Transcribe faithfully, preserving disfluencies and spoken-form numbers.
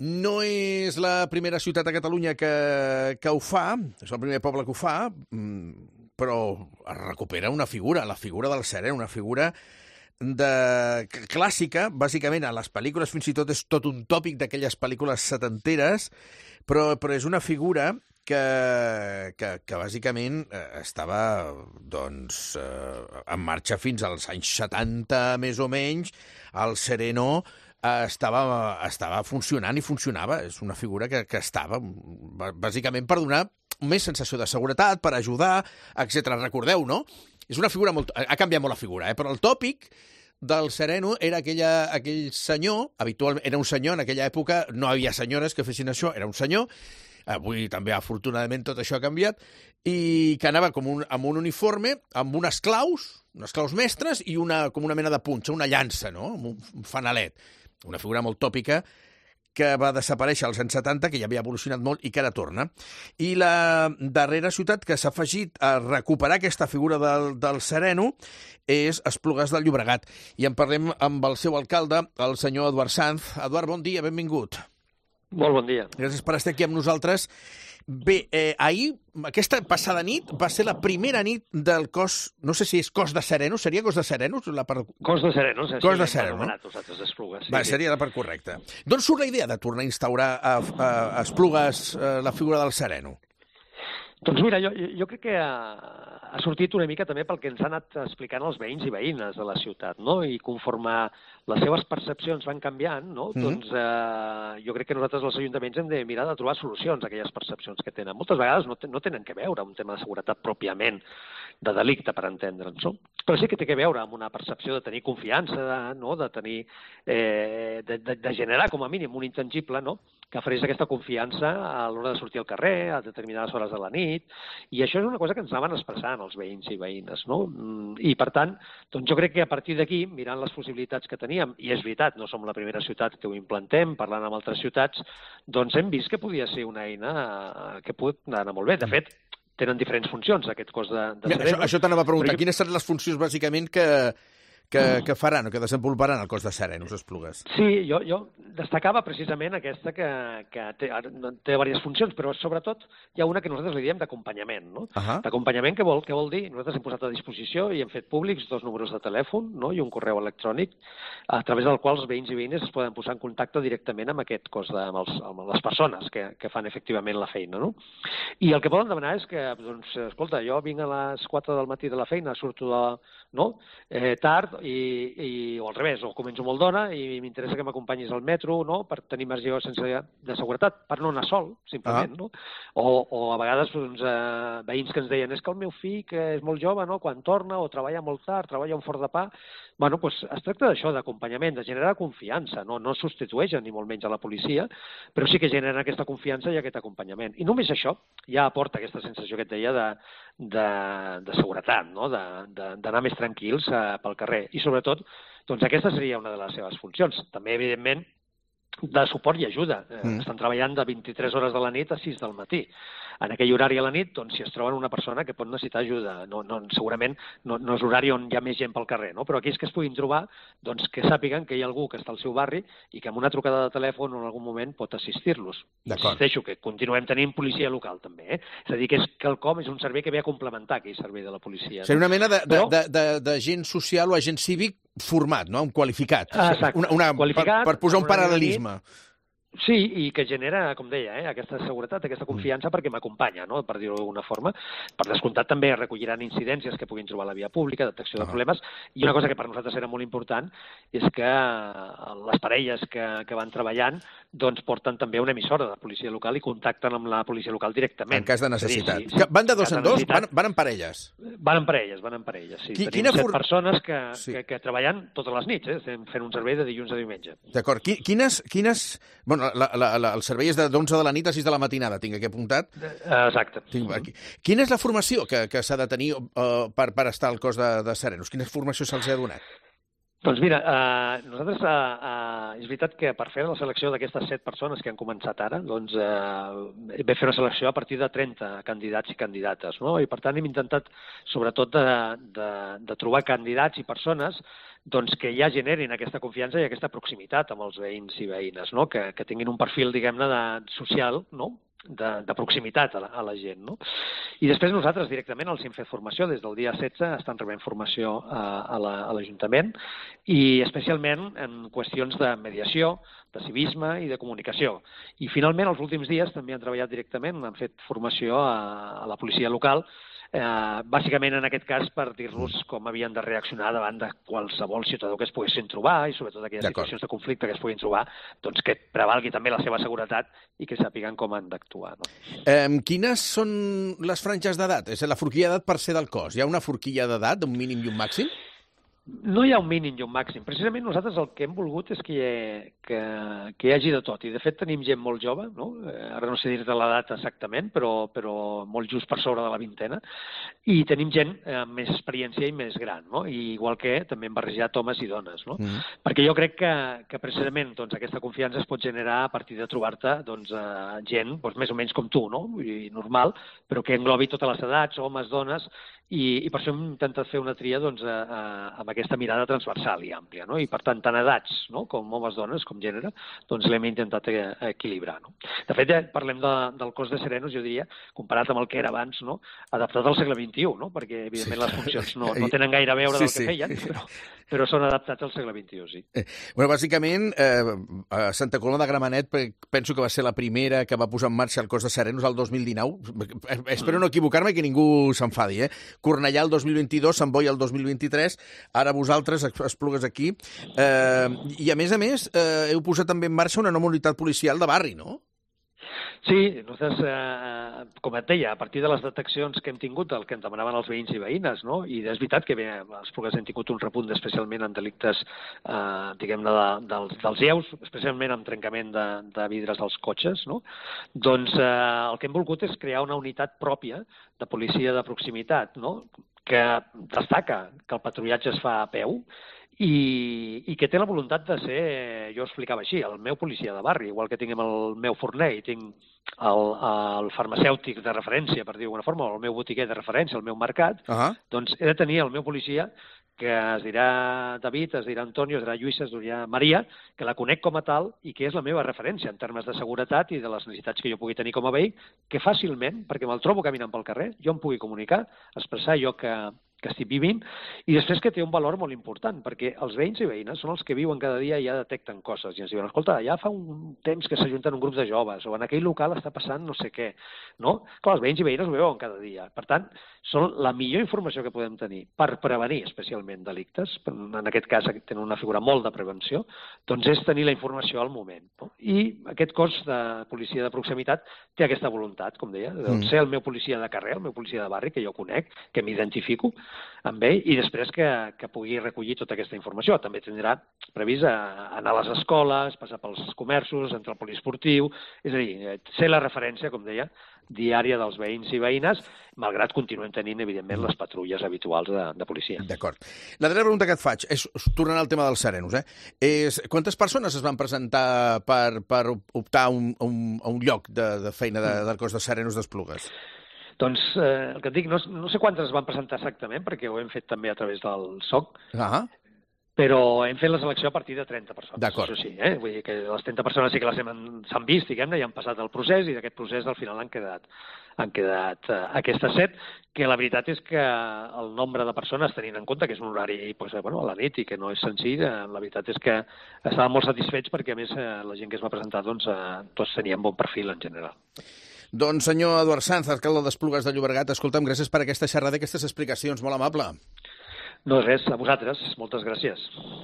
No és la primera ciutat a Catalunya que, que ho fa, és el primer poble que ho fa, però es recupera una figura, la figura del serè, una figura de clàssica, bàsicament a les pel·lícules fins i tot és tot un tòpic d'aquelles pel·lícules setenteres, però, però és una figura que, que, que bàsicament estava doncs, en marxa fins als anys setanta, més o menys. El Sereno estava, estava funcionant i funcionava. És una figura que, que estava bàsicament per donar més sensació de seguretat, per ajudar, etcètera. Recordeu, no? És una figura molt... Ha canviat molt la figura, eh? Però el tòpic del sereno era aquella, aquell senyor, habitualment era un senyor, en aquella època no hi havia senyores que fessin això, era un senyor, avui també afortunadament tot això ha canviat, i que anava com un, amb un uniforme, amb unes claus, unes claus mestres i una, com una mena de punxa, una llança, no? Amb un fanalet. Una figura molt tòpica que va desaparèixer als anys setanta, que ja havia evolucionat molt i que ara torna. I la darrera ciutat que s'ha afegit a recuperar aquesta figura del, del sereno és Esplugues del Llobregat. I en parlem amb el seu alcalde, el senyor Eduard Sanz. Eduard, bon dia, benvingut. Molt bon dia. Gràcies per estar aquí amb nosaltres. Bé, eh, ahir, aquesta passada nit, va ser la primera nit del cos, no sé si és cos de Serenos, seria cos de Serenos? La part... Cos de Serenos, cos de Serenos, no? Nosaltres Esplugues. Sí, va, seria la part correcta. D'on surt la idea de tornar a instaurar a, a, a Esplugues a la figura del sereno? Doncs mira, jo, jo crec que ha, ha sortit una mica també pel que ens han anat explicant els veïns i veïnes de la ciutat, no? I conforme les seves percepcions van canviant, no? Mm-hmm. Doncs eh, jo crec que nosaltres, els ajuntaments, hem de mirar de trobar solucions a aquelles percepcions que tenen. Moltes vegades no, te, no tenen que veure amb un tema de seguretat pròpiament, de delicte, per entendre'ns, no? Però sí que té que veure amb una percepció de tenir confiança, no? De tenir, eh, de, de, de generar com a mínim un intangible, no? Que ofereix aquesta confiança a l'hora de sortir al carrer, a determinades hores de la nit, i això és una cosa que ens anaven expressant els veïns i veïnes, no? I, per tant, doncs jo crec que a partir d'aquí, mirant les possibilitats que teníem, i és veritat, no som la primera ciutat que ho implantem, parlant amb altres ciutats, doncs hem vist que podia ser una eina que pot anar molt bé. De fet, tenen diferents funcions, aquest cos de, de Mira, sereno. Això, això t'anava a preguntar. Però... Quines seran les funcions, bàsicament, que... Que, que faran o que desenvoluparan el cos de Serenos, Esplugues? Sí, jo, jo destacava precisament aquesta que, que té, té diverses funcions, però sobretot hi ha una que nosaltres li diem d'acompanyament, no? Uh-huh. D'acompanyament, què vol, què vol dir? Nosaltres hem posat a disposició i hem fet públics dos números de telèfon, no? I un correu electrònic a través del qual els veïns i veïnes es poden posar en contacte directament amb aquest cos, de, amb, els, amb les persones que, que fan efectivament la feina, no? I el que poden demanar és que, doncs, escolta, jo vinc a les quatre del matí de la feina, surto de, no? eh, tard, I, i, o al revés, o començo molt d'hora i m'interessa que m'acompanyis al metro, no?, per tenir marge sense de seguretat, per no anar sol, simplement, ah. no? O, o a vegades doncs, eh, veïns que ens deien és que el meu fill, que és molt jove, no?, quan torna o treballa molt tard, treballa un forn de pa, bueno, doncs es tracta d'això, d'acompanyament, de generar confiança, no, no substitueixen ni molt menys a la policia, però sí que generen aquesta confiança i aquest acompanyament. I només això ja aporta aquesta sensació que et deia de, de, de seguretat, no?, d'anar més tranquils eh, pel carrer. I sobretot, doncs aquesta seria una de les seves funcions. També, evidentment, de suport i ajuda. Mm. Estan treballant de vint-i-tres hores de la nit a sis del matí. En aquell horari a la nit, doncs, si es troben una persona que pot necessitar ajuda, no, no, segurament no, no és horari on hi ha més gent pel carrer, no? Però aquells que es puguin trobar, doncs que sàpiguen que hi ha algú que està al seu barri i que amb una trucada de telèfon o en algun moment pot assistir-los. Insisteixo que continuem tenint policia local, també. Eh? És a dir, que és quelcom, és un servei que ve a complementar aquell servei de la policia. Seria una mena de, de, de, de, de agent social o agent cívic format, no? Un qualificat. Exacte. Una, una, qualificat, per, per posar un paral·lelisme. Sí, i que genera, com deia, eh, aquesta seguretat, aquesta confiança perquè m'acompanya, no?, per dir-ho d'alguna forma. Per descomptat també recolliran incidències que puguin trobar a la via pública, detecció de problemes, i una cosa que per nosaltres era molt important és que les parelles que, que van treballant doncs porten també una emissora de la policia local i contacten amb la policia local directament. En cas de necessitat. Sí, sí, van de dos en dos? Van, van en parelles? Van en parelles, van en parelles, sí. Qui, Tenim set for... persones que, sí. que, que treballen totes les nits, eh? Estem fent un servei de dilluns a diumenge. D'acord. Quines... quines... Bueno, La, la, la, el servei és d'onze de la nit a sis de la matinada, tinc aquí apuntat. Exacte. Tinc aquí. Quina és la formació que, que s'ha de tenir uh, per, per estar al cos de, de Serenos? Quina formació se'ls ha donat? Doncs mira, eh, nosaltres, eh, eh, és veritat que per fer la selecció d'aquestes set persones que han començat ara, doncs eh, vam fer una selecció a partir de trenta candidats i candidates, no? I per tant hem intentat, sobretot, de, de, de trobar candidats i persones doncs, que ja generin aquesta confiança i aquesta proximitat amb els veïns i veïnes, no? Que, que tinguin un perfil, diguem-ne, de, social, no? De, de proximitat a la, a la gent, no? I després nosaltres directament els hem fet formació, des del dia setze estan rebent formació a, a l'Ajuntament i especialment en qüestions de mediació, de civisme i de comunicació. I finalment els últims dies també han treballat directament, han fet formació a, a la policia local, Eh, bàsicament en aquest cas per dir-los com havien de reaccionar davant de qualsevol ciutadà que es poguessin trobar i sobretot aquelles situacions de conflicte que es puguin trobar, doncs que prevalgui també la seva seguretat i que sàpiguen com han d'actuar. No? Eh, quines són les franges d'edat? És la forquilla d'edat per ser del cos. Hi ha una forquilla d'edat, un mínim i un màxim? No hi ha un mínim i un màxim. Precisament nosaltres el que hem volgut és que hi, ha, que, que hi hagi de tot. I de fet tenim gent molt jove, no? Ara no sé dir-te l'edat exactament, però, però molt just per sobre de la vintena. I tenim gent amb més experiència i més gran, no? I igual que també hem barrejat homes i dones, no? Mm. Perquè jo crec que, que precisament doncs, aquesta confiança es pot generar a partir de trobar-te doncs, eh, gent doncs, més o menys com tu, no? I normal, però que englobi totes les edats, homes, dones, i, i per això hem intentat fer una tria doncs, a, a, amb aquesta mirada transversal i àmplia, no? I per tant, tant edats, no? Com homes, dones, com gènere, doncs l'hem intentat equilibrar, no? De fet, ja parlem de, del cos de serenos, jo diria, comparat amb el que era abans, no? Adaptat al segle vint-i-u, no? Perquè, evidentment, sí, les funcions no, no tenen gaire a veure sí, del que sí. feien, però, però són adaptats al segle vint-i-u, sí. Eh, bueno, bàsicament, eh, a Santa Coloma de Gramenet penso que va ser la primera que va posar en marxa el cos de serenos el dos mil dinou. Espero no equivocar-me i que ningú s'enfadi, eh? Cornellà el dos mil vint-i-dos, Sant Boi el dos mil vint-i-tres, ara vosaltres, Esplugues aquí. Eh, I a més a més, eh, heu posat també en marxa una nova unitat policial de barri, no? Sí, nosaltres, eh, com et deia, a partir de les deteccions que hem tingut, el que ens demanaven els veïns i veïnes, no? I és veritat que bé, a Esplugues hem tingut un repunt especialment en delictes, eh, diguem-ne, de, dels, dels lleus, especialment amb trencament de, de vidres dels cotxes, no? Doncs eh, el que hem volgut és crear una unitat pròpia de policia de proximitat, no? Que destaca que el patrullatge es fa a peu, I, i que té la voluntat de ser, jo ho explicava així, el meu policia de barri, igual que tinc el meu forner i tinc el, el farmacèutic de referència, per dir d'alguna forma, o el meu botiguer de referència, el meu mercat, uh -huh. doncs he de tenir el meu policia que es dirà David, es dirà Antonio, es dirà Lluïssa, es dirà Maria, que la conec com a tal i que és la meva referència en termes de seguretat i de les necessitats que jo pugui tenir com a veí, que fàcilment, perquè me'l trobo caminant pel carrer, jo em pugui comunicar, expressar allò que, que estic vivint, i després que té un valor molt important, perquè els veïns i veïnes són els que viuen cada dia i ja detecten coses, i ens diuen, escolta, ja fa un temps que s'ajunten un grup de joves, o en aquell local està passant no sé què, no? Clar, els veïns i veïnes ho veuen cada dia. Per tant, són la millor informació que podem tenir per prevenir especialment delictes, en aquest cas tenen una figura molt de prevenció, doncs és tenir la informació al moment. No? I aquest cos de policia de proximitat té aquesta voluntat, com deia, de mm. ser el meu policia de carrer, el meu policia de barri, que jo conec, que m'identifico amb ell, i després que, que pugui recollir tota aquesta informació. També tindrà previst anar a les escoles, passar pels comerços, entrar al poliesportiu, és a dir, ser la referència, com deia, diària dels veïns i veïnes, malgrat continuem tenint, evidentment, les patrulles habituals de, de policia. D'acord. La darrera pregunta que et faig és, tornant al tema dels serenos, eh? és quantes persones es van presentar per, per optar a un, un, a un lloc de, de feina de, del cos de serenos d'Esplugues? Doncs eh, el que et dic, no, no sé quantes es van presentar exactament, perquè ho hem fet també a través del S O C, ah. però hem fet la selecció a partir de trenta persones. D'acord. Això sí, eh? Vull dir que les trenta persones sí que les s'han vist, diguem-ne, i han passat el procés, i d'aquest procés al final han quedat, han quedat eh, aquestes set, que la veritat és que el nombre de persones, tenint en compte que és un horari pues, bueno, a la nit i que no és senzill, eh, la veritat és que estàvem molt satisfets perquè, a més, eh, la gent que es va presentar doncs, eh, tots tenien bon perfil en general. Doncs, senyor Eduard Sanz, alcalde d'Esplugues de Llobregat, escolta'm, gràcies per aquesta xerrada i aquestes explicacions, molt amable. No, res, a vosaltres. Moltes gràcies.